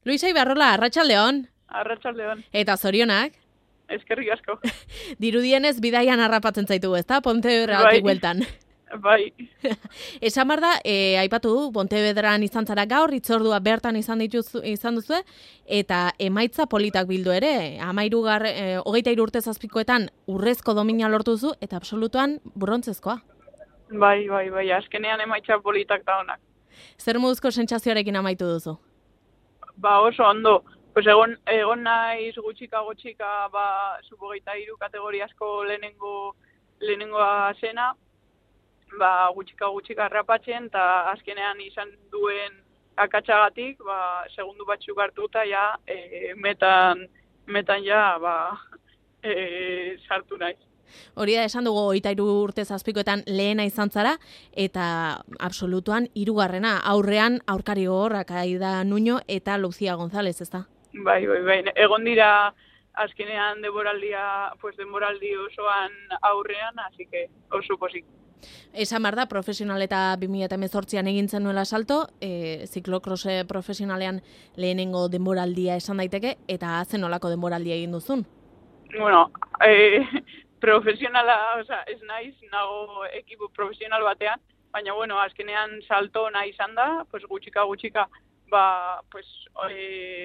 Luisa Ibarrola, arratsaldeon. Arratsaldeon. Eta zorionak. Eskerrik asko. Dirudienez bidaian harrapatzen zaitu, ezta? Pontevedratik bueltan. Bai. Esan behar da, aipatu du, Pontevedran izan zara gaur, hitzordua bertan izan duzu, eta emaitza politak bildu ere. 23 urte zazpikoetan urrezko domina lortu duzu, eta absolutuan brontzezkoa. Bai, azkenean emaitza politak da honak. Zer moduzko sentsazioarekin amaitu duzu? Ba oso ondo. Pues egon naiz gutxika, sub-23 kategoriasko lehenengoa zena, ba gutxika harrapatzen, eta azkenean izan duen akatsagatik, ba segundu batzuk hartuta ja metan ja sartu naiz. Hori da, esan dugu 23 urte zazpikoetan lehena izan zara, eta absolutuan 3. aurrean aurkari gogorrak Aida Nuño eta Lucía González, ezta? Bai. Egon dira azkenean denboraldi osoan aurrean, así que oso pozik. Esan behar da, profesional eta 2018an egin zenuela salto, ziklokrose profesionalean lehenengo denboraldia esan daiteke, eta zen olako denboraldia egin duzun? Bueno, profesionala, ez naiz, nago ekipo profesional batean, baina bueno, azkenean salto nahi izan da, gutxika,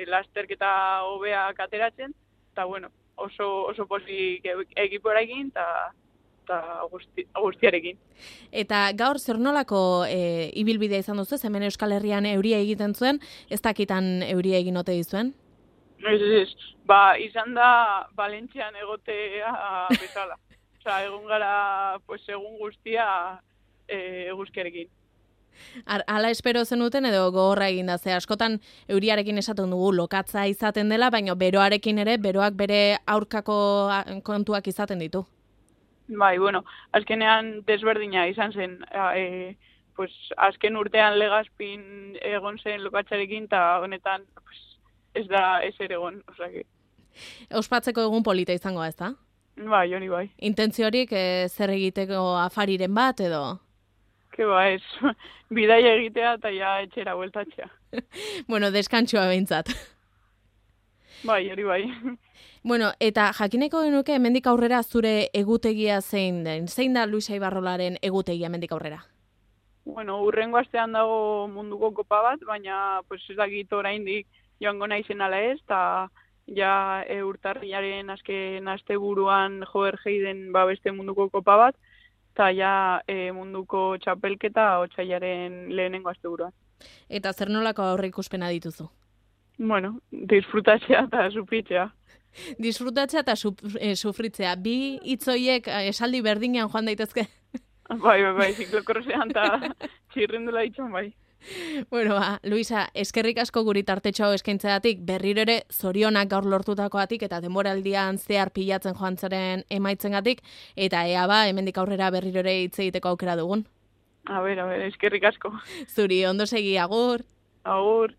lasterketa hobeak ateratzen, eta bueno, oso pozik ekipoarekin, eta guztiarekin. Eta gaur zer nolako ibilbidea izan duzu, hemen Euskal Herrian euria egiten zuen, ez dakitan euria egin ote dizuen? Ez, izan da Valentzian egotea bezala. Egon gara, egun guztia eguzkiarekin. Hala espero zenuten edo gogorra egin da, ze askotan euriarekin esaten dugu lokatza izaten dela, baina beroarekin ere, beroak bere aurkako kontuak izaten ditu. Bai, bueno, azkenean desberdina izan zen, azken urtean Legazpin egon zen lokatzarekin, eta honetan ez da ezer egon, osake. Ospatzeko egun polita izango, ez da? Bai, hori bai. Intentziorik zer egiteko afariren bat edo? Ez, bidaia egitea eta ja etxera bueltatzea. Bueno, deskantsua behintzat. Bai, hori bai. Bueno, eta jakineko genuke hemendik aurrera zure egutegia zein den? Zein da Luisa Ibarrolaren egutegia hemendik aurrera? Bueno, urrengo astean dago munduko kopa bat, baina ez dakit oraindik joango naizen ala ez, eta ja urtarrilaren azken asteburuan Joergeiden beste munduko kopa bat, eta ja munduko txapelketa otsailaren lehenengo asteburuan. Eta zer nolako aurreikuspena dituzu? Bueno, disfrutatzea eta sufritzea. Disfrutatzea eta sufritzea. Bi hitzoiek esaldi berdinean joan daitezke? Bai, ziklokrosean eta txirrindula ditxon bai. Bueno, Luisa, eskerrik asko guri tartetxo eskaintzeatik, berriro ere zorionak gaur lortutakoatik eta denboraldian zehar pilatzen joan zaren emaitzengatik, eta hemendik aurrera berriro ere hitz egiteko aukera dugun. A ber, eskerrik asko. Zuri, ondo segi, agur. Agur.